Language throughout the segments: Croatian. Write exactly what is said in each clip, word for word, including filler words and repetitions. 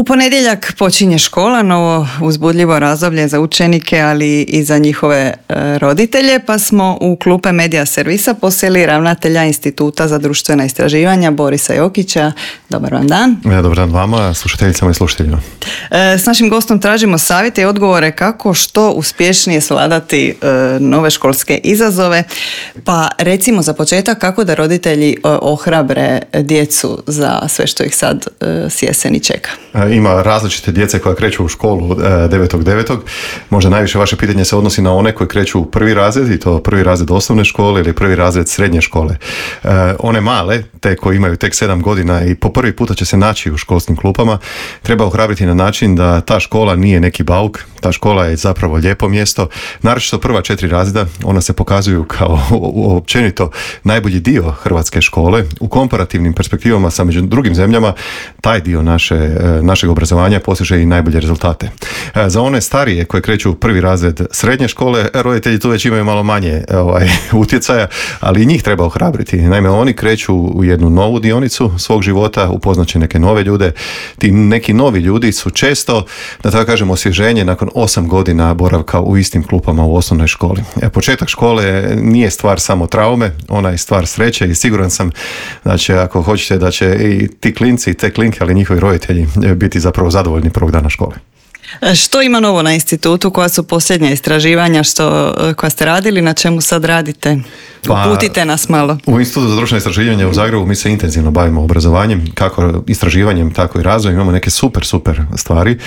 U ponedjeljak počinje škola, novo uzbudljivo razdoblje za učenike, ali i za njihove e, roditelje, pa smo u klupe Medija servisa posjeli ravnatelja Instituta za društvena istraživanja Borisa Jokića. Dobar vam dan. Ja, dobar dan vama, slušateljicama i slušateljima. E, s našim gostom tražimo savjete i odgovore kako što uspješnije svladati e, nove školske izazove. Pa recimo za početak kako da roditelji e, ohrabre djecu za sve što ih sad e, s jeseni čeka. Ima različite djece koja kreću u školu devetog devetog Možda najviše vaše pitanje se odnosi na one koji kreću u prvi razred, i to prvi razred osnovne škole ili prvi razred srednje škole. One male, te koji imaju tek sedam godina i po prvi puta će se naći u školskim klupama, treba ohrabriti na način da ta škola nije neki bauk, ta škola je zapravo lijepo mjesto. Naročito prva četiri razreda, ona se pokazuju kao općenito najbolji dio hrvatske škole. U komparativnim perspektivama sa među drugim zemljama, taj dio naše našeg obrazovanja postiže i najbolje rezultate. Za one starije koje kreću u prvi razred srednje škole, roditelji tu već imaju malo manje ovaj, utjecaja, ali i njih treba ohrabriti. Naime, oni kreću u jednu novu dionicu svog života, upoznaće neke nove ljude. Ti neki novi ljudi su često, da tako kažem, osvježenje nakon osam godina boravka u istim klupama u osnovnoj školi. E, početak škole nije stvar samo traume, ona je stvar sreće i siguran sam da će, ako hoćete, da će i ti klinci i te klinke, ali njihovi roditelji biti zapravo zadovoljni prvog dana škole. Što ima novo na institutu? Koja su posljednja istraživanja što, koja ste radili? Na čemu sad radite? Uputite nas malo. U Institutu za društvena istraživanja u Zagrebu mi se intenzivno bavimo obrazovanjem, kako istraživanjem, tako i razvojem. Imamo neke super, super stvari.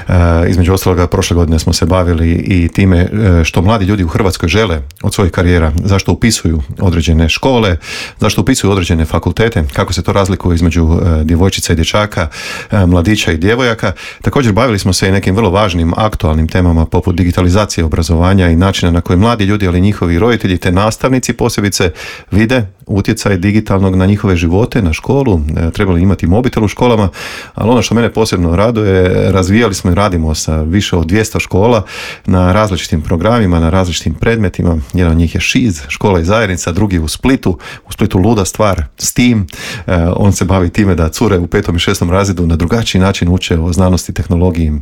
E, između ostaloga, prošle godine smo se bavili i time što mladi ljudi u Hrvatskoj žele od svojih karijera, zašto upisuju određene škole, zašto upisuju određene fakultete, kako se to razlikuje između e, djevojčica i dječaka, e, mladića i djevojaka. Također bavili smo se i nekim vrlo važnim aktualnim temama poput digitalizacije obrazovanja i načina na koji mladi ljudi, ali njihovi roditelji te nastavnici posebice vide utjecaj digitalnog na njihove živote, na školu. E, trebali imati mobitel u školama, ali ono što mene posebno raduje, razvijali smo i radimo sa više od dvjesto škola na različitim programima, na različitim predmetima. Jedan od njih je Šiz, škola i zajednica, drugi u Splitu. U Splitu luda stvar, STEAM. E, on se bavi time da cure u petom i šestom razredu na drugačiji način uče o znanosti, tehnologiji,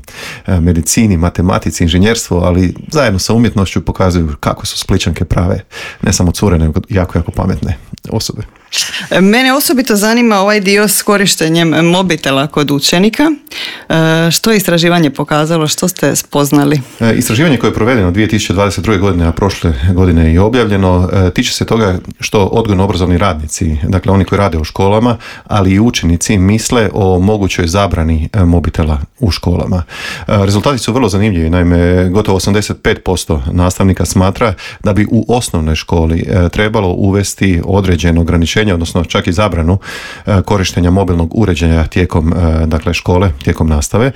medicini, matematici, inženjerstvo, ali zajedno sa umjetnošću pokazuju kako su Splićanke prave, ne samo cure, nego jako, jako pametne osobe. Mene osobito zanima ovaj dio s korištenjem mobitela kod učenika. Što je istraživanje pokazalo? Što ste spoznali? Istraživanje koje je provedeno dvije tisuće dvadeset druge godine, a prošle godine i objavljeno, tiče se toga što odgojno-obrazovni radnici, dakle oni koji rade u školama, ali i učenici misle o mogućoj zabrani mobitela u školama. Rezultati su vrlo zanimljivi. Naime, gotovo osamdeset pet posto nastavnika smatra da bi u osnovnoj školi trebalo uvesti određeno ograničenje, odnosno čak i zabranu korištenja mobilnog uređaja tijekom dakle, škole, tijekom nastave.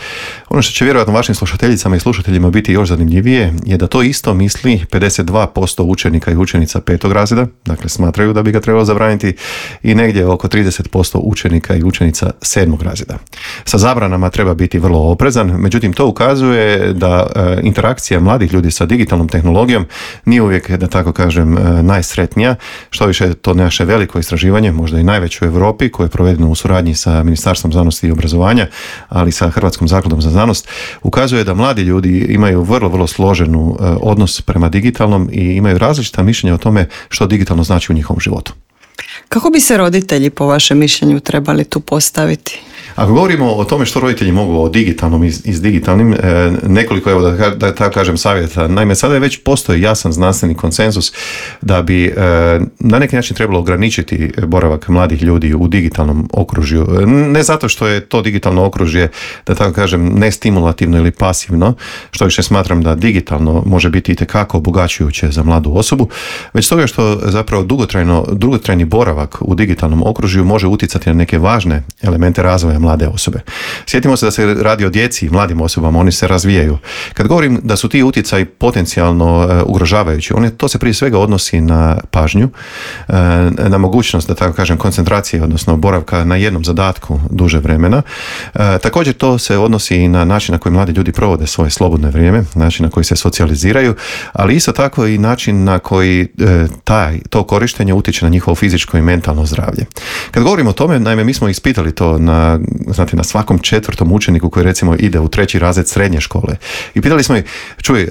Ono što će vjerojatno vašim slušateljicama i slušateljima biti još zanimljivije je da to isto misli pedeset dva posto učenika i učenica petog razreda, dakle smatraju da bi ga trebalo zabraniti, i negdje oko trideset posto učenika i učenica sedmog razreda. Sa zabranama treba biti vrlo oprezan, međutim to ukazuje da interakcija mladih ljudi sa digitalnom tehnologijom nije uvijek, da tako kažem, najsretnija. Što više, to naše veliko istraživanje, možda i najveće u Europi, koje je provedeno u suradnji sa Ministarstvom znanosti i obrazovanja, ali sa Hrvatskom zakladom za znanost, ukazuje da mladi ljudi imaju vrlo, vrlo složenu odnos prema digitalnom i imaju različita mišljenja o tome što digitalno znači u njihovom životu. Kako bi se roditelji, po vašem mišljenju, trebali tu postaviti? Ako govorimo o tome što roditelji mogu o digitalnom i s digitalnim, nekoliko, evo da, da tako kažem, savjeta. Naime, sada je već postoji jasan znanstveni konsenzus da bi na neki način trebalo ograničiti boravak mladih ljudi u digitalnom okružju. Ne zato što je to digitalno okružje, da tako kažem, nestimulativno ili pasivno, što više smatram da digitalno može biti itekako obogaćujuće za mladu osobu, već toga što zapravo dugotrajno, dugotrajni boravak u digitalnom okružju može utjecati na neke važne elemente razvoja mlade osobe. Sjetimo se da se radi o djeci i mladim osobama, oni se razvijaju. Kad govorim da su ti utjecaji potencijalno uh, ugrožavajući, one, to se prije svega odnosi na pažnju, uh, na mogućnost, da tako kažem, koncentracije, odnosno boravka na jednom zadatku duže vremena. Uh, također to se odnosi i na način na koji mladi ljudi provode svoje slobodno vrijeme, način na koji se socijaliziraju, ali isto tako i način na koji uh, taj, to korištenje utječe na njihovo fizičko i mentalno zdravlje. Kad govorimo o tome, naime, mi smo ispitali to na znate, na svakom četvrtom učeniku koji recimo ide u treći razred srednje škole. I pitali smo ih, čuj,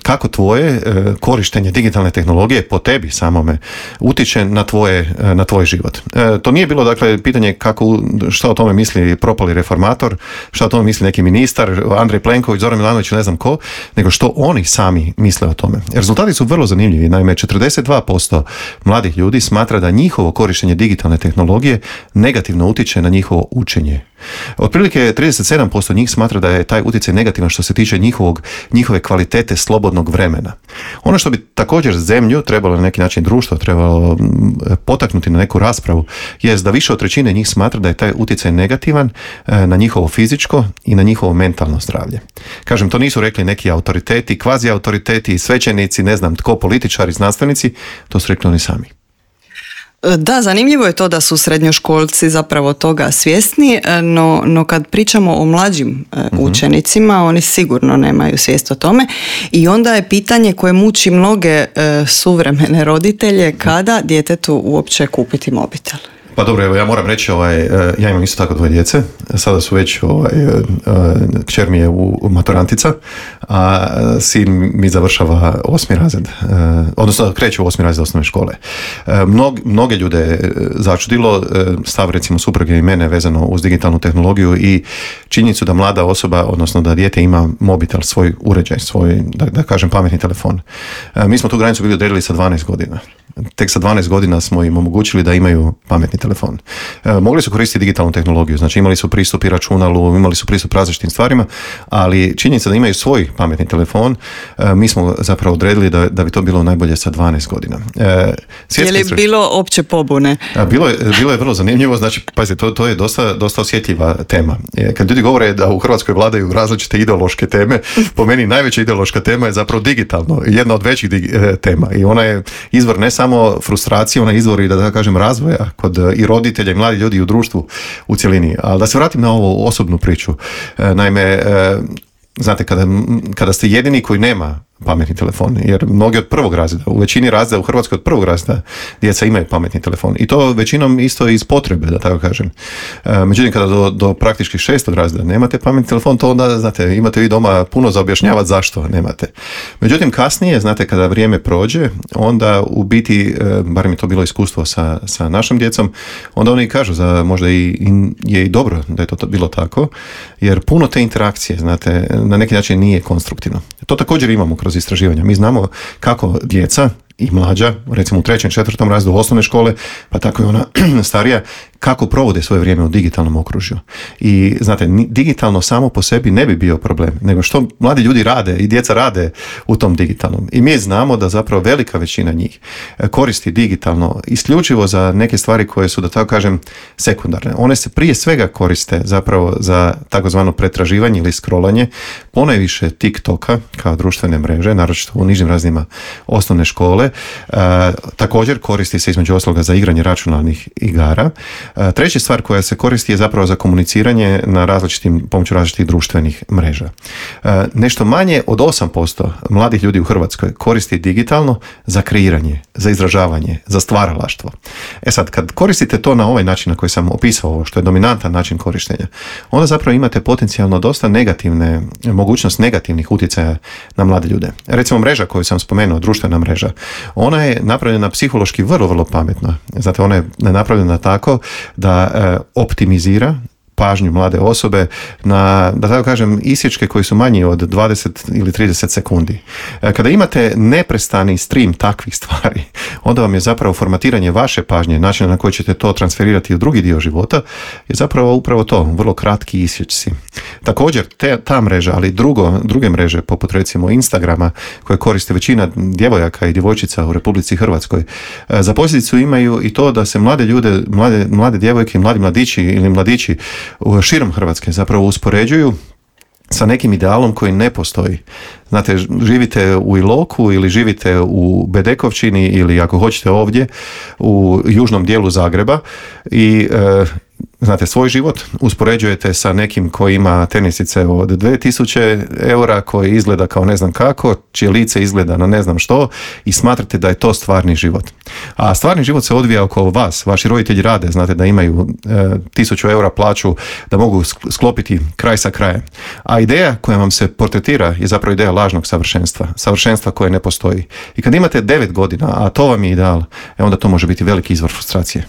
kako tvoje korištenje digitalne tehnologije po tebi samome utiče na tvoje, na tvoj život. To nije bilo, dakle, pitanje kako, šta o tome misli propali reformator, šta o tome misli neki ministar, Andrej Plenković, Zoran Milanović, ne znam ko, nego što oni sami misle o tome. Rezultati su vrlo zanimljivi. Naime, četrdeset dva posto mladih ljudi smatra da njihovo korištenje digitalne tehnologije negativno utječe na njihovo učenje. Otprilike trideset sedam posto njih smatra da je taj utjecaj negativan što se tiče njihovog, njihove kvalitete slobodnog vremena. Ono što bi također zemlju trebalo na neki način, društvo trebalo potaknuti na neku raspravu je da više od trećine njih smatra da je taj utjecaj negativan na njihovo fizičko i na njihovo mentalno zdravlje. Kažem, to nisu rekli neki autoriteti, kvazi autoriteti, svećenici, ne znam tko, političari, znanstvenici, to su rekli oni sami. Da, zanimljivo je to da su srednjoškolci zapravo toga svjesni, no, no kad pričamo o mlađim uh-huh. učenicima, oni sigurno nemaju svijest o tome i onda je pitanje koje muči mnoge uh, suvremene roditelje, kada djetetu uopće kupiti mobitel. Pa dobro, evo ja moram reći, ovaj, ja imam isto tako dvoje djece, sada su već, ovaj, kćer mi je u maturantica, a sin mi završava osmi razred, odnosno kreće u osmi razred osnovne škole. Mnog, mnoge ljude začudilo stav recimo supruge i mene vezano uz digitalnu tehnologiju i činjenicu da mlada osoba, odnosno da dijete ima mobitel, svoj uređaj, svoj, da, da kažem, pametni telefon. Mi smo tu granicu bili odredili sa dvanaest godina. Tek sa dvanaest godina smo im omogućili da imaju pametni telefon. E, mogli su koristiti digitalnu tehnologiju, znači imali su pristup i računalu, imali su pristup različitim stvarima, ali činjenica da imaju svoj pametni telefon, e, mi smo zapravo odredili da, da bi to bilo najbolje sa dvanaest godina. E, je li sreć... bilo opće pobune? A, bilo, je, bilo je vrlo zanimljivo, znači, pazite, to, to je dosta, dosta osjetljiva tema. E, kad ljudi govore da u Hrvatskoj vladaju različite ideološke teme, po meni najveća ideološka tema je zapravo digitalno, jedna od većih dig, e, tema i ona je izvor ne samo frustracije, ona je izvor i da, da kažem razvoja kod i roditelja i mladi ljudi i u društvu u cjelini. Ali da se vratim na ovu osobnu priču. E, naime, e, znate, kada, kada ste jedini koji nema pametni telefon, jer mnogi od prvog razreda, u većini razreda u Hrvatskoj od prvog razreda djeca imaju pametni telefon i to većinom isto iz potrebe, da tako kažem. E, međutim, kada do, do praktički šestog razreda nemate pametni telefon, to onda, znate, imate vi doma puno za objašnjavati zašto nemate. Međutim, kasnije, znate, kada vrijeme prođe, onda u biti, e, bar mi to bilo iskustvo sa, sa našom djecom, onda oni kažu za možda i, i je i dobro da je to bilo tako, jer puno te interakcije, znate, na neki način nije konstruktivno. To također imamo kroz istraživanja. Mi znamo kako djeca i mlađa, recimo u trećem, četvrtom razredu osnovne škole, pa tako i ona starija, kako provode svoje vrijeme u digitalnom okružju. I znate, digitalno samo po sebi ne bi bio problem, nego što mladi ljudi rade i djeca rade u tom digitalnom. I mi znamo da zapravo velika većina njih koristi digitalno isključivo za neke stvari koje su, da tako kažem, sekundarne. One se prije svega koriste zapravo za takozvano pretraživanje ili scrollanje, ponajviše TikToka kao društvene mreže, naročito u nižim razinama osnovne škole. E, također koristi se između ostaloga za igranje računalnih igara. E, treća stvar koja se koristi je zapravo za komuniciranje na različitim, pomoću različitih društvenih mreža. E, nešto manje od osam posto mladih ljudi u Hrvatskoj koristi digitalno za kreiranje, za izražavanje, za stvaralaštvo. E sad, kad koristite to na ovaj način na koji sam opisao, što je dominantan način korištenja, onda zapravo imate potencijalno dosta negativne, mogućnost negativnih utjecaja na mlade ljude. Recimo mreža koju sam spomenuo, društvena mreža, ona je napravljena psihološki vrlo, vrlo pametno. Znate, ona je napravljena tako da e, optimizira pažnju mlade osobe na, da tako kažem, isječke koji su manji od dvadeset ili trideset sekundi. Kada imate neprestani stream takvih stvari, onda vam je zapravo formatiranje vaše pažnje, način na koji ćete to transferirati u drugi dio života, je zapravo upravo to, vrlo kratki isječci. Također, te, ta mreža, ali drugo, druge mreže, poput recimo Instagrama, koje koriste većina djevojaka i djevojčica u Republici Hrvatskoj, za posljedicu imaju i to da se mlade ljude, mlade, mlade djevojke, mladi mladići ili mladići širom Hrvatske zapravo uspoređuju sa nekim idealom koji ne postoji. Znate, živite u Iloku ili živite u Bedekovčini ili ako hoćete ovdje u južnom dijelu Zagreba i e, znate, svoj život, uspoređujete sa nekim koji ima tenisice od dvije tisuće eura, koji izgleda kao ne znam kako, čije lice izgleda na ne znam što i smatrate da je to stvarni život. A stvarni život se odvija oko vas, vaši roditelji rade, znate da imaju e, tisuću eura plaću, da mogu sklopiti kraj sa krajem. A ideja koja vam se portretira je zapravo ideja lažnog savršenstva, savršenstva koje ne postoji. I kad imate devet godina, a to vam je ideal, e onda to može biti veliki izvor frustracije.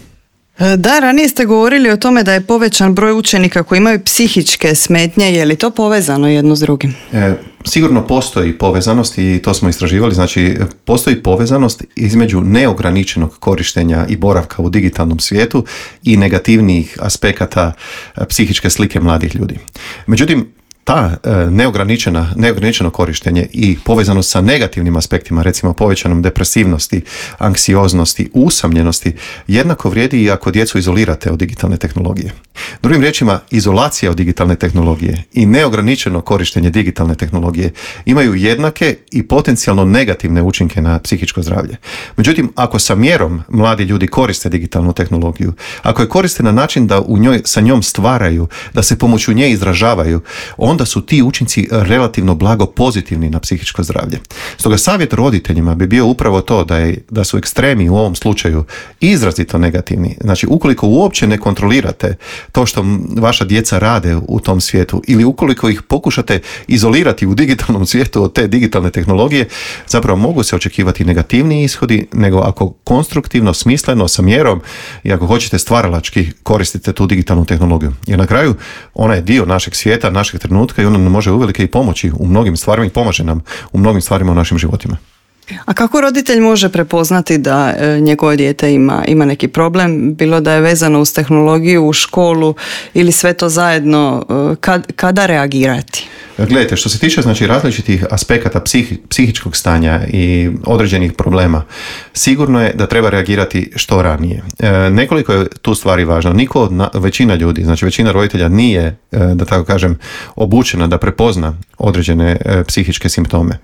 Da, ranije ste govorili o tome da je povećan broj učenika koji imaju psihičke smetnje. Je li to povezano jedno s drugim? E, sigurno postoji povezanost i to smo istraživali. Znači, postoji povezanost između neograničenog korištenja i boravka u digitalnom svijetu i negativnijih aspekata psihičke slike mladih ljudi. Međutim, ta e, neograničena, neograničeno korištenje i povezano sa negativnim aspektima, recimo povećanom depresivnosti, anksioznosti, usamljenosti, jednako vrijedi i ako djecu izolirate od digitalne tehnologije. Drugim riječima, izolacija od digitalne tehnologije i neograničeno korištenje digitalne tehnologije imaju jednake i potencijalno negativne učinke na psihičko zdravlje. Međutim, ako sa mjerom mladi ljudi koriste digitalnu tehnologiju, ako je koriste na način da u njoj, sa njom stvaraju, da se pomoću nje izražavaju, onda su ti učinci relativno blago pozitivni na psihičko zdravlje. Stoga savjet roditeljima bi bio upravo to da, je, da su ekstremi u ovom slučaju izrazito negativni. Znači, ukoliko uopće ne kontrolirate to što vaša djeca rade u tom svijetu ili ukoliko ih pokušate izolirati u digitalnom svijetu od te digitalne tehnologije, zapravo mogu se očekivati negativniji ishodi nego ako konstruktivno, smisleno, sa mjerom i ako hoćete stvaralački koristite tu digitalnu tehnologiju. Jer na kraju ona je dio našeg svijeta, našeg trenutka i ona nam može uvelike i pomoći u mnogim stvarima i pomaže nam u mnogim stvarima u našim životima. A kako roditelj može prepoznati da e, njegovo dijete ima, ima neki problem, bilo da je vezano uz tehnologiju, u školu ili sve to zajedno, e, kad, kada reagirati? Gledajte, što se tiče znači, različitih aspekata psihi, psihičkog stanja i određenih problema, sigurno je da treba reagirati što ranije. E, nekoliko je tu stvari važno. Niko od na, većina ljudi, znači većina roditelja nije, e, da tako kažem, obučena da prepozna određene e, psihičke simptome.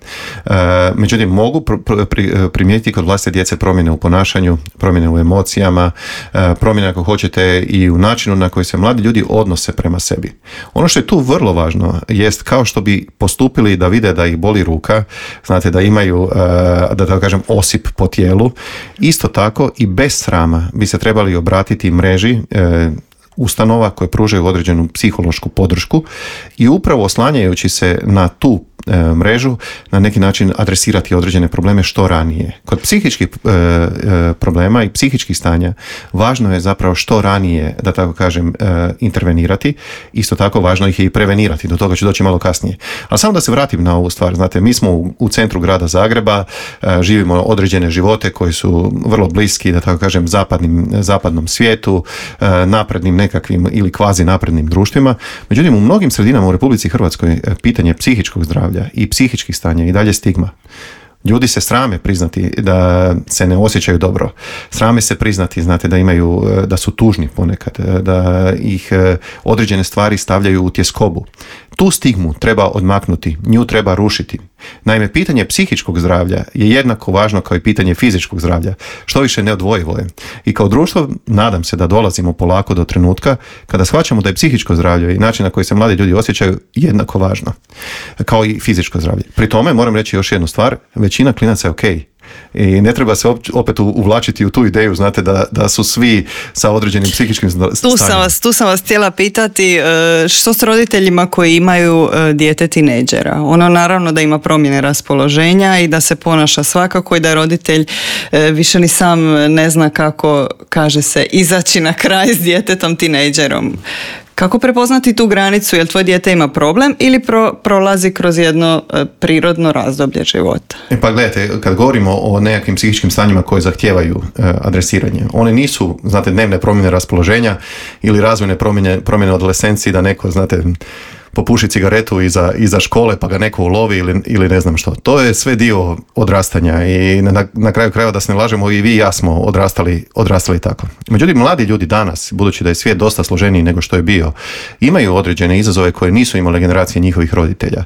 E, međutim, mogu pr, pr, pri, primijetiti kod vlastite djece promjene u ponašanju, promjene u emocijama, e, promjene ako hoćete i u načinu na koji se mladi ljudi odnose prema sebi. Ono što je tu vrlo važno jest kao što bi postupili da vide da ih boli ruka, znate da imaju, da tako kažem, osip po tijelu. Isto tako i bez srama bi se trebali obratiti mreži ustanova koje pružaju određenu psihološku podršku i upravo oslanjajući se na tu e, mrežu na neki način adresirati određene probleme što ranije. Kod psihičkih e, e, problema i psihičkih stanja važno je zapravo što ranije, da tako kažem, e, intervenirati. Isto tako važno ih je i prevenirati. Do toga ću doći malo kasnije. Ali samo da se vratim na ovu stvar. Znate, mi smo u, u centru grada Zagreba, e, živimo određene živote koji su vrlo bliski, da tako kažem, zapadnim, zapadnom svijetu, e, naprednim nekakvim ili kvazi naprednim društvima. Međutim, u mnogim sredinama u Republici Hrvatskoj pitanje psihičkog zdravlja i psihičkih stanja i dalje stigma. Ljudi se srame priznati da se ne osjećaju dobro. Srame se priznati, znate, da imaju, da su tužni ponekad, da ih određene stvari stavljaju u tjeskobu. Tu stigmu treba odmaknuti, nju treba rušiti. Naime, pitanje psihičkog zdravlja je jednako važno kao i pitanje fizičkog zdravlja, što više neodvojivo je. I kao društvo nadam se da dolazimo polako do trenutka kada shvaćamo da je psihičko zdravlje i način na koji se mladi ljudi osjećaju jednako važno kao i fizičko zdravlje. Pri tome moram reći još jednu stvar, većina klinaca je okej. I ne treba se opet uvlačiti u tu ideju, znate, da, da su svi sa određenim psihičkim stanjima. Tu sam vas, tu sam vas htjela pitati što s roditeljima koji imaju dijete tinejdžera. Ono naravno da ima promjene raspoloženja i da se ponaša svakako i da roditelj više ni sam ne zna kako, kaže se, izaći na kraj s djetetom tinejdžerom. Kako prepoznati tu granicu, jel tvoj dijete ima problem ili pro, prolazi kroz jedno e, prirodno razdoblje života? E pa gledajte, kad govorimo o nekakvim psihičkim stanjima koje zahtijevaju e, adresiranje, one nisu, znate, dnevne promjene raspoloženja ili razvojne promjene, promjene adolescencije da neko, znate, popuši cigaretu iza, iza škole pa ga neko ulovi ili, ili ne znam što. To je sve dio odrastanja i na, na kraju krajeva da se ne lažemo i vi i ja smo odrastali, odrastali tako. Međutim, mladi ljudi danas, budući da je svijet dosta složeniji nego što je bio, imaju određene izazove koje nisu imale generacije njihovih roditelja.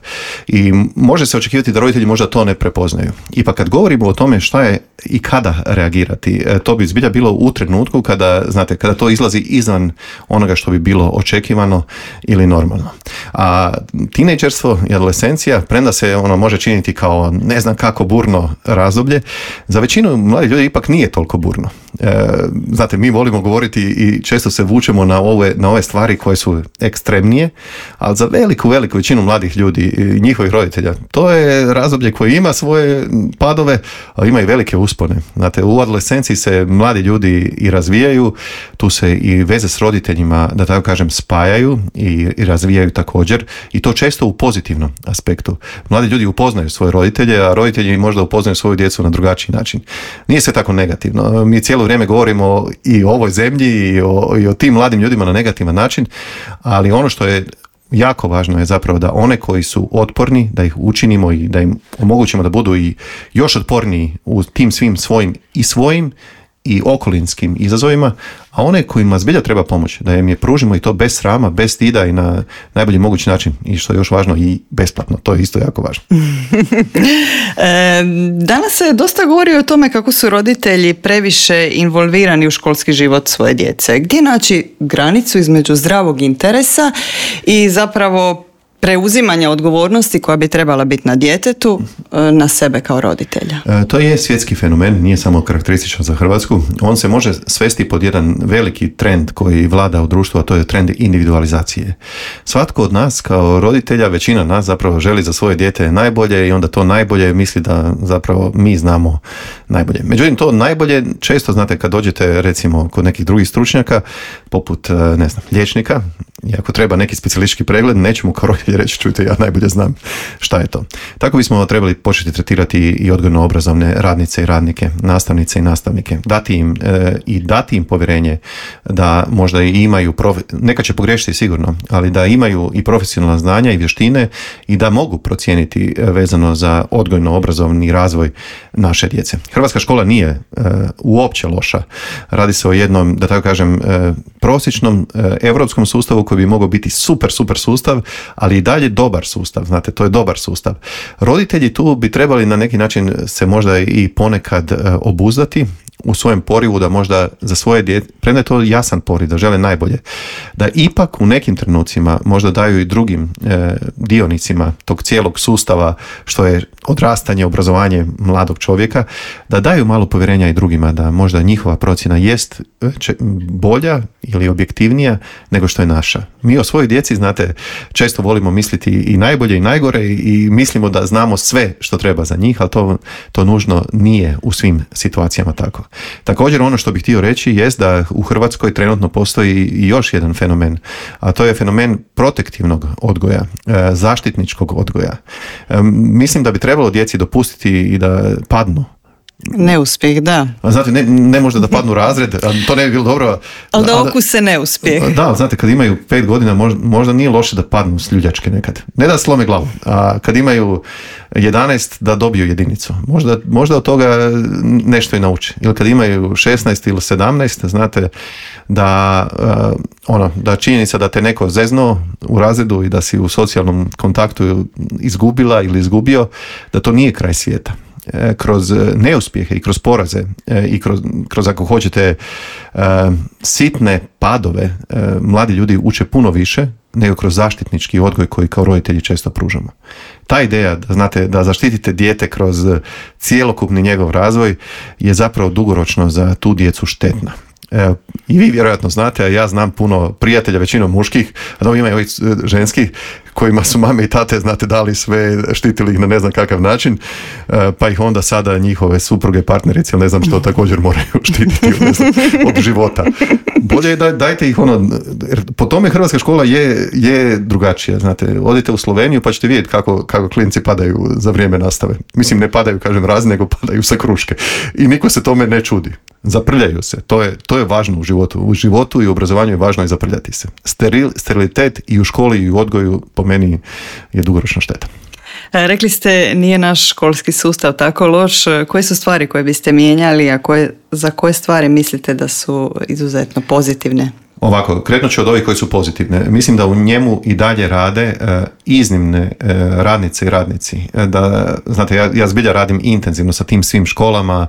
I može se očekivati da roditelji možda to ne prepoznaju. Ipak kad govorimo o tome šta je i kada reagirati, to bi zbilja bilo u trenutku kada, znate, kada to izlazi izvan onoga što bi bilo očekivano ili normalno. A tinejdžerstvo i adolescencija, premda se ono može činiti kao ne znam kako burno razdoblje, za većinu mladih ljudi ipak nije toliko burno. E, znate, mi volimo govoriti i često se vučemo na ove, na ove stvari koje su ekstremnije, ali za veliku, veliku većinu mladih ljudi i njihovih roditelja, to je razdoblje koje ima svoje padove, ali ima i velike uspone. Znate, u adolescenciji se mladi ljudi i razvijaju, tu se i veze s roditeljima, da tako kažem, spajaju i, i razvijaju također, i to često u pozitivnom aspektu. Mladi ljudi upoznaju svoje roditelje, a roditelji možda upoznaju svoju djecu na drugačiji način. Nije sve tako negativno. Mi cijelo vrijeme govorimo i o ovoj zemlji i o, i o tim mladim ljudima na negativan način, ali ono što je jako važno je zapravo da one koji su otporni, da ih učinimo i da im omogućimo da budu i još otporniji u tim svim svojim i svojim i okolinskim izazovima, a one kojima zbilja treba pomoć, da im je pružimo i to bez srama, bez stida i na najbolji mogući način, i što je još važno, i besplatno. To je isto jako važno. e, danas se dosta govori o tome kako su roditelji previše involvirani u školski život svoje djece. Gdje naći granicu između zdravog interesa i zapravo preuzimanja odgovornosti koja bi trebala biti na djetetu, na sebe kao roditelja? E, to je svjetski fenomen, nije samo karakterističan za Hrvatsku. On se može svesti pod jedan veliki trend koji vlada u društvu, a to je trend individualizacije. Svatko od nas kao roditelja, većina nas zapravo želi za svoje dijete najbolje i onda to najbolje misli da zapravo mi znamo najbolje. Međutim, to najbolje često, znate, kad dođete recimo kod nekih drugih stručnjaka, poput, ne znam, liječnika, i ako treba neki specijalistički pregled, nećemo kao roditelji reći, čujte, ja najbolje znam šta je to. Tako bismo trebali početi tretirati i odgojno-obrazovne radnice i radnike, nastavnice i nastavnike, dati im e, i dati im povjerenje da možda i imaju, profe, neka će pogriješiti sigurno, ali da imaju i profesionalna znanja i vještine i da mogu procijeniti vezano za odgojno-obrazovni razvoj naše djece. Hrvatska škola nije e, uopće loša. Radi se o jednom, da tako kažem, e, prosječnom e, europskom sustavu koji bi mogao biti super, super sustav, ali i dalje dobar sustav. Znate, to je dobar sustav. Roditelji tu bi trebali na neki način se možda i ponekad e, obuzdati u svojem porivu da možda za svoje dijete, premda je to jasan poriv, da žele najbolje, da ipak u nekim trenucima možda daju i drugim e, dionicima tog cijelog sustava što je odrastanje, obrazovanje mladog čovjeka, da daju malo povjerenja i drugima, da možda njihova procjena jest bolja ili objektivnija nego što je naša. Mi o svojoj djeci, znate, često volimo misliti i najbolje i najgore i mislimo da znamo sve što treba za njih, ali to, to nužno nije u svim situacijama tako. Također ono što bih htio reći jest da u Hrvatskoj trenutno postoji i još jedan fenomen, a to je fenomen protektivnog odgoja, zaštitničkog odgoja. Mislim da bi trebalo djeci dopustiti i da padnu. Neuspjeh, da. Znate, ne, ne možda da padnu razred, to ne bi bilo dobro. Ali da okuse neuspjeh. Da, znate, kad imaju pet godina možda, možda nije loše da padnu s ljuljačke nekad. Ne da slome glavu, a kad imaju jedanaest da dobiju jedinicu. Možda, možda od toga nešto i nauči. Ili kad imaju šesnaest ili sedamnaest, znate da, uh, ono, da činjenica da te neko zeznuo u razredu i da si u socijalnom kontaktu izgubila ili izgubio, da to nije kraj svijeta. Kroz neuspjehe i kroz poraze i kroz, kroz ako hoćete sitne padove, mladi ljudi uče puno više nego kroz zaštitnički odgoj koji kao roditelji često pružamo. Ta ideja da, znate, da zaštitite dijete kroz cjelokupni njegov razvoj je zapravo dugoročno za tu djecu štetna. Evo, i vi vjerojatno znate, a ja znam puno prijatelja, većinom muških, a da ima i ovih ženskih, kojima su mame i tate, znate, dali sve, štitili ih na ne znam kakav način, pa ih onda sada njihove supruge, partnerice, ne znam što, također moraju štititi ne znam, od života. Bolje je da dajte ih ono, po tome Hrvatska škola je, je drugačija, znate, odite u Sloveniju pa ćete vidjeti kako, kako klinci padaju za vrijeme nastave. Mislim, ne padaju, kažem, razni, nego padaju sa kruške. I niko se tome ne čudi. Zaprljaju se. To je, to je važno u životu. U životu i u obrazovanju je važno i zaprljati se. Steril, sterilitet i u školi i u odgoju po meni je dugoročna šteta. Rekli ste nije naš školski sustav tako loš. Koje su stvari koje biste mijenjali, a koje, za koje stvari mislite da su izuzetno pozitivne? Ovako, krenut ću od ovih koji su pozitivne. Mislim da u njemu i dalje rade e, iznimne e, radnice i radnici. E, da, znate, ja, ja zbilja radim intenzivno sa tim svim školama,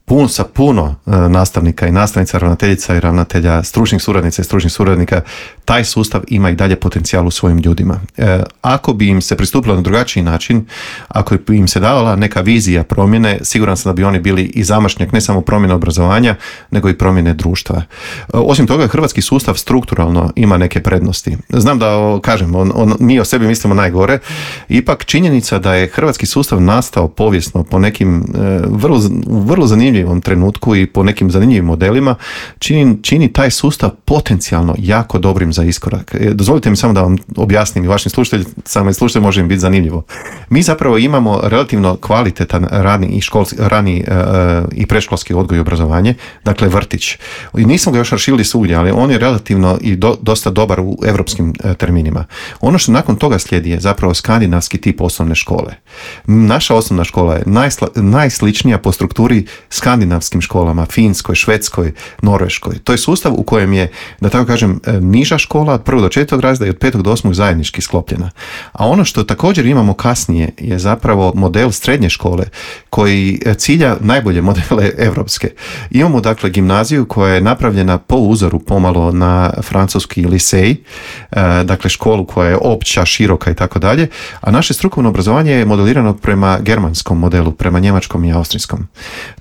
Pun, sa puno e, nastavnika i nastavnica, ravnateljica i ravnatelja, stručnih suradnica i stručnih suradnika. Taj sustav ima i dalje potencijal u svojim ljudima. E, ako bi im se pristupilo na drugačiji način, ako bi im se davala neka vizija promjene, siguran sam da bi oni bili i zamašnjak ne samo promjene obrazovanja, nego i promjene društva. E, osim toga, hrvatski sustav strukturalno ima neke prednosti. Znam da, o, kažem, on, on, mi o sebi mislimo najgore, ipak činjenica da je hrvatski sustav nastao povijesno po nekim e, vrlo, vrlo zanimljivim trenutku i po nekim zanimljivim modelima čini, čini taj sustav potencijalno jako dobrim za iskorak. Dozvolite mi samo da vam objasnim i vašim slušateljima, samo slušatelji može im biti zanimljivo. Mi zapravo imamo relativno kvalitetan rani i, školski, rani, uh, i predškolski odgoj i obrazovanje, dakle vrtić. I nismo ga još raširili svugdje, ali on je relativno i do, dosta dobar u europskim uh, terminima. Ono što nakon toga slijedi je zapravo skandinavski tip osnovne škole. Naša osnovna škola je najsla, najsličnija po strukturi skandinavskim školama, Finskoj, Švedskoj, Norveškoj. To je sustav u kojem je, da tako kažem, niža škola od prvog do četvrtog razreda i od petog do osmog zajednički sklopljena. A ono što također imamo kasnije je zapravo model srednje škole koji cilja najbolje modele evropske. Imamo dakle gimnaziju koja je napravljena po uzoru pomalo na francuski lisej, dakle školu koja je opća, široka i tako dalje, a naše strukovno obrazovanje je modelirano prema germanskom modelu, prema njemačkom i austrijskom.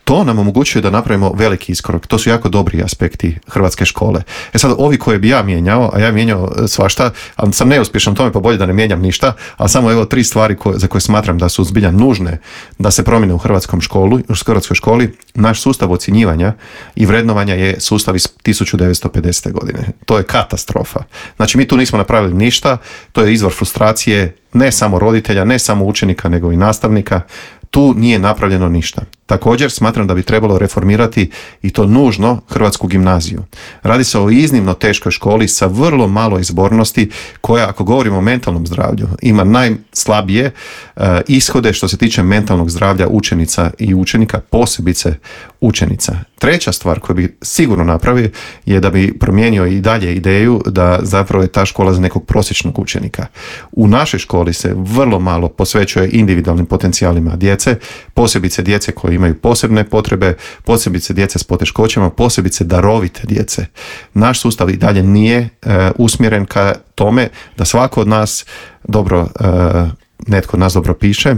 To nam omogućuje da napravimo veliki iskorak. To su jako dobri aspekti hrvatske škole. E sad, ovi koje bi ja mijenjao, a ja mijenjao svašta, ali sam neuspješan u tome, pa bolje da ne mijenjam ništa, ali samo evo tri stvari koje, za koje smatram da su zbilja nužne da se promijene u hrvatskom školu, u hrvatskoj školi. Naš sustav ocjenjivanja i vrednovanja je sustav iz tisuću devetsto pedesete. godine. To je katastrofa. Znači, mi tu nismo napravili ništa, to je izvor frustracije ne samo roditelja, ne samo učenika, nego i nastavnika. Tu nije napravljeno ništa. Također smatram da bi trebalo reformirati i to nužno hrvatsku gimnaziju. Radi se o iznimno teškoj školi sa vrlo malo izbornosti koja, ako govorimo o mentalnom zdravlju, ima najslabije uh, ishode što se tiče mentalnog zdravlja učenica i učenika, posebice učenica. Treća stvar koju bi sigurno napravio je da bi promijenio i dalje ideju da zapravo je ta škola za nekog prosječnog učenika. U našoj školi se vrlo malo posvećuje individualnim potencijalima djece, posebice djece koji imaju posebne potrebe, posebice djece s poteškoćama, posebice darovite djece. Naš sustav i dalje nije e, usmjeren ka tome da svako od nas dobro, e, netko od nas dobro piše,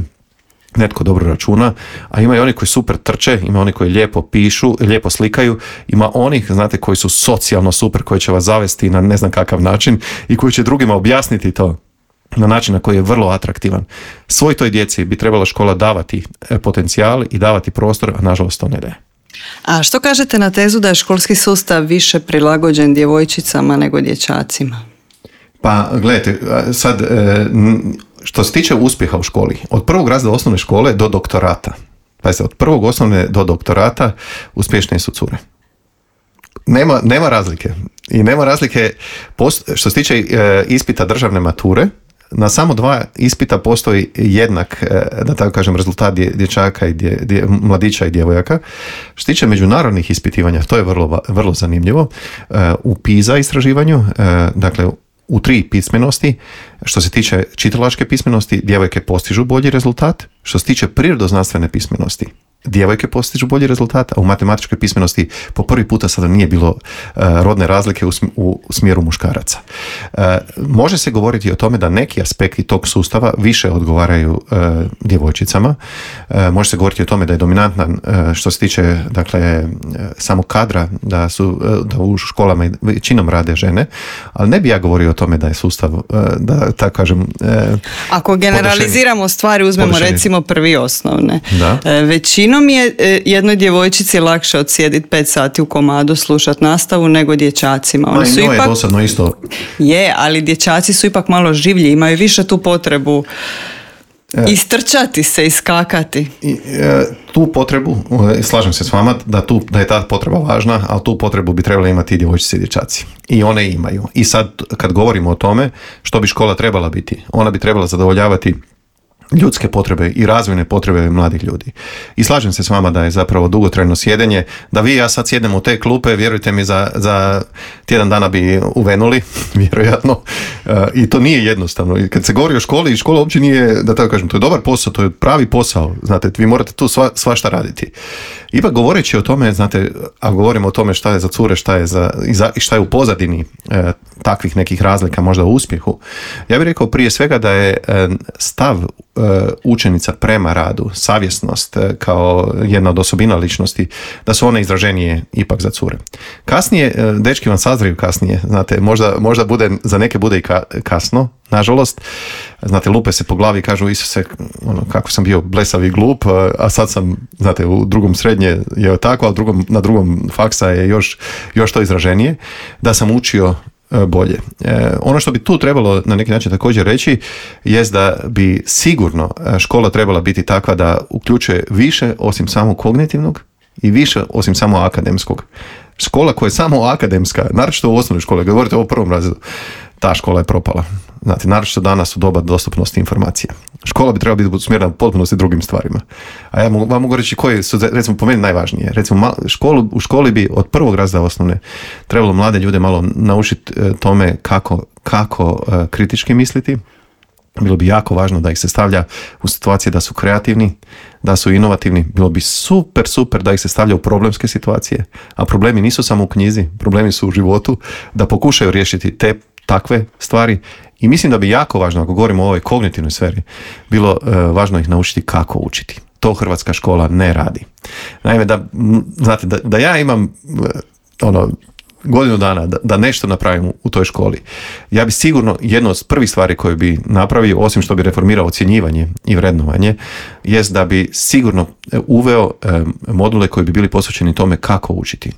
netko dobro računa, a ima i oni koji super trče, ima oni koji lijepo pišu, lijepo slikaju, ima onih, znate, koji su socijalno super, koji će vas zavesti na ne znam kakav način i koji će drugima objasniti to na način na koji je vrlo atraktivan. Svoj toj djeci bi trebala škola davati potencijal i davati prostor, a nažalost to ne daje. A što kažete na tezu da je školski sustav više prilagođen djevojčicama nego dječacima? Pa gledajte, sad što se tiče uspjeha u školi, od prvog razreda osnovne škole do doktorata, pazite, od prvog osnovne do doktorata uspješnije su cure. Nema, nema razlike. I nema razlike post, što se tiče e, ispita državne mature, na samo dva ispita postoji jednak, e, da tako kažem, rezultat dje, dječaka i dje, dje, mladića i djevojaka. Što se tiče međunarodnih ispitivanja, to je vrlo, vrlo zanimljivo. E, u PISA istraživanju, e, dakle, u tri pismenosti, što se tiče čitalačke pismenosti, djevojke postižu bolji rezultat. Što se tiče prirodoznanstvene pismenosti, djevojke postižu bolji rezultat, a u matematičkoj pismenosti po prvi puta sada nije bilo uh, rodne razlike u, sm- u smjeru muškaraca. Uh, može se govoriti o tome da neki aspekti tog sustava više odgovaraju uh, djevojčicama. Uh, može se govoriti o tome da je dominantan uh, što se tiče, dakle, uh, samog kadra, da su uh, da u školama većinom rade žene, ali ne bi ja govorio o tome da je sustav, uh, da tako kažem, uh, ako generaliziramo podešeni. Stvari, uzmemo podešeni. Recimo prvi osnovne. Da. Uh, većinom je jednoj djevojčici lakše odsjediti pet sati u komadu slušati nastavu nego dječacima. Oni su ipak, je dosadno isto. Je, ali dječaci su ipak malo življi, imaju više tu potrebu Istrčati se, iskakati. I, e, tu potrebu, e, slažem se s vama da, tu, da je ta potreba važna, ali tu potrebu bi trebali imati i djevojčice i dječaci. I one imaju. I sad kad govorimo o tome što bi škola trebala biti, ona bi trebala zadovoljavati ljudske potrebe i razvojne potrebe mladih ljudi. I slažem se s vama da je zapravo dugotrajno sjedenje, da vi i ja sad sjednemo u te klupe, vjerujte mi, za, za tjedan dana bi uvenuli, vjerojatno, e, i to nije jednostavno. I kad se govori o školi, i škola uopće nije, da tako kažem, to je dobar posao, to je pravi posao, znate, vi morate tu sva, svašta raditi. Ipak govoreći o tome, znate, a govorimo o tome šta je za cure, šta je za, i, za, i šta je u pozadini e, takvih nekih razlika možda u uspjehu, ja bih rekao prije svega da je e, stav učenica prema radu, savjesnost kao jedna od osobina ličnosti, da su one izraženije ipak za cure. Kasnije, dečki vam sazriju kasnije, znate, možda, možda bude, za neke bude i kasno, nažalost, znate, lupe se po glavi i kažu, Isuse, ono, kako sam bio blesav i glup, a sad sam, znate, u drugom srednje je tako, a drugom, na drugom faksa je još, još to izraženije, da sam učio bolje. E, ono što bi tu trebalo na neki način također reći jest da bi sigurno škola trebala biti takva da uključuje više osim samo kognitivnog i više osim samo akademskog. Škola koja je samo akademska, naročito u osnovnoj školi, govorite o prvom razredu, ta škola je propala. Znate, naročito danas u doba dostupnosti informacija. Škola bi trebala biti usmjerena u potpunosti drugim stvarima. A ja mogu, vam mogu reći koje su, recimo, po meni najvažnije. Recimo, školu, u školi bi od prvog razreda osnovne trebalo mlade ljude malo naučiti tome kako, kako kritički misliti. Bilo bi jako važno da ih se stavlja u situacije da su kreativni, da su inovativni. Bilo bi super, super da ih se stavlja u problemske situacije. A problemi nisu samo u knjizi, problemi su u životu, da pokušaju riješiti te takve stvari. I mislim da bi jako važno, ako govorimo o ovoj kognitivnoj sferi, bilo e, važno ih naučiti kako učiti. To hrvatska škola ne radi. Naime, da, znate, da, da ja imam e, ono, godinu dana da, da nešto napravim u toj školi, ja bi sigurno jedno od prvih stvari koje bi napravio, osim što bi reformirao ocjenjivanje i vrednovanje, jest da bi sigurno uveo e, module koji bi bili posvećeni tome kako učiti.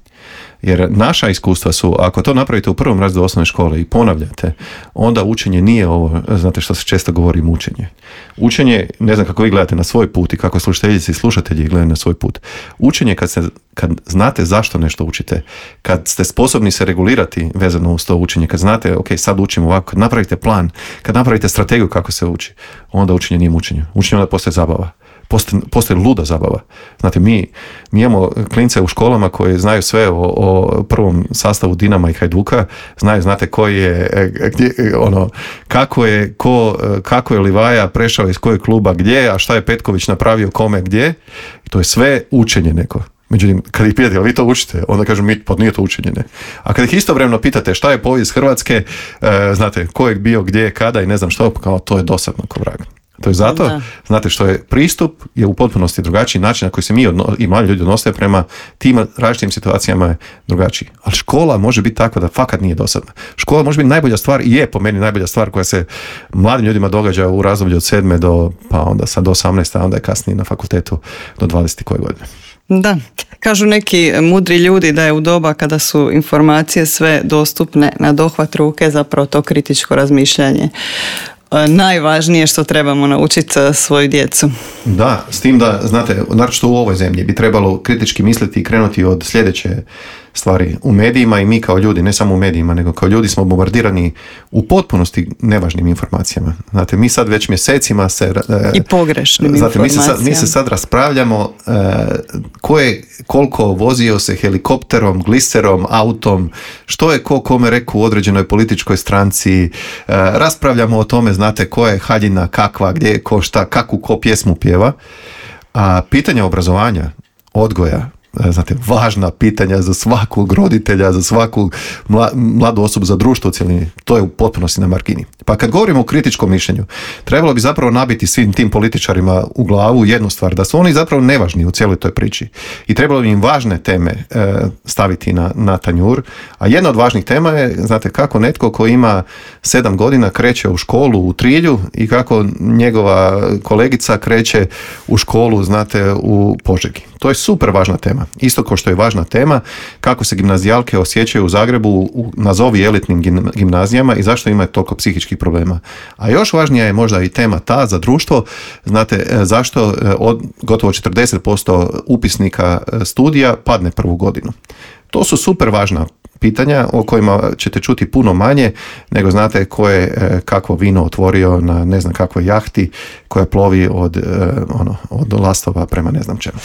Jer naša iskustva su, ako to napravite u prvom razredu osnovne škole i ponavljate, onda učenje nije ovo, znate što se često govori, mučenje. Učenje, ne znam kako vi gledate na svoj put i kako slušateljice i slušatelji gledaju na svoj put. Učenje kad, se, kad znate zašto nešto učite, kad ste sposobni se regulirati vezano uz to učenje, kad znate, ok, sad učimo ovako, kad napravite plan, kad napravite strategiju kako se uči, onda učenje nije mučenje. Učenje onda postaje zabava. Postoji, postoji luda zabava. Znate, mi, mi imamo klince u školama koji znaju sve o, o prvom sastavu Dinama i Hajduka, znaju, znate, koji je, gdje, ono, kako je, ko, kako je Livaja prešao iz kojeg kluba gdje, a šta je Petković napravio kome gdje. I to je sve učenje neko. Međutim, kad ih pitate, jel vi to učite? Onda kažu, mi, pa nije to učenje, ne. A kad ih istovremeno pitate šta je povijest Hrvatske, e, znate, ko je bio gdje, kada i ne znam što, kao to je dosadno ko vrag. To je zato, da. Znate, što je pristup je u potpunosti drugačiji, način na koji se mi odno, i mali ljudi odnose prema tim različitim situacijama je drugačiji. Ali škola može biti takva da fakat nije dosadna. Škola može biti najbolja stvar i je po meni najbolja stvar koja se mladim ljudima događa u razdoblju od sedme do, pa onda sad do osamnaeste, a onda je kasnije na fakultetu do dvadesete koje godine. Da, kažu neki mudri ljudi da je u doba kada su informacije sve dostupne na dohvat ruke zapravo to kritičko razmišljanje najvažnije što trebamo naučiti svoju djecu. Da, s tim da, znate, naročito u ovoj zemlji bi trebalo kritički misliti i krenuti od sljedeće stvari u medijima i mi kao ljudi, ne samo u medijima, nego kao ljudi smo bombardirani u potpunosti nevažnim informacijama. Znate, mi sad već mjesecima se... I pogrešnim znate, informacijama. Mi se sad, mi se sad raspravljamo uh, ko je, koliko vozio se helikopterom, gliserom, autom, što je ko kome rekao u određenoj političkoj stranci, uh, raspravljamo o tome, znate, ko je haljina, kakva, gdje je ko, šta, kakvu ko pjesmu pjeva. A pitanja obrazovanja, odgoja, znate, važna pitanja za svakog roditelja, za svaku mla, mladu osobu, za društvo u cjelini, to je u potpunosti na margini. Pa kad govorimo o kritičkom mišljenju, trebalo bi zapravo nabiti svim tim političarima u glavu jednu stvar, da su oni zapravo nevažni u cijeloj toj priči. I trebalo bi im važne teme e, staviti na, na tanjur. A jedna od važnih tema je, znate, kako netko ko ima sedam godina kreće u školu u Trilju i kako njegova kolegica kreće u školu, znate, u Požegi. To je super važna tema. Isto kao što je važna tema kako se gimnazijalke osjećaju u Zagrebu u nazovi elitnim gimnazijama i zašto imaju toliko psihičkih problema. A još važnija je možda i tema ta za društvo. Znate, zašto od gotovo četrdeset posto upisnika studija padne prvu godinu. To su super važna pitanja o kojima ćete čuti puno manje nego znate ko je kakvo vino otvorio na ne znam kakvoj jahti koja plovi od, ono, od Lastova prema ne znam čemu.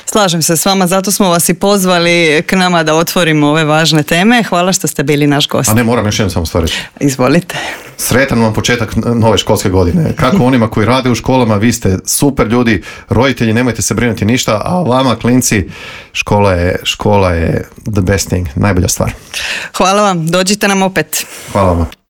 Slažem se s vama, zato smo vas i pozvali k nama da otvorimo ove važne teme. Hvala što ste bili naš gost. A ne, moram još jednom samo stvar reći. Izvolite. Sretan vam početak nove školske godine. Kako onima koji rade u školama, vi ste super ljudi, roditelji, nemojte se brinuti ništa, a vama klinci, škola je, škola je the best thing, najbolja stvar. Hvala vam, dođite nam opet. Hvala vam.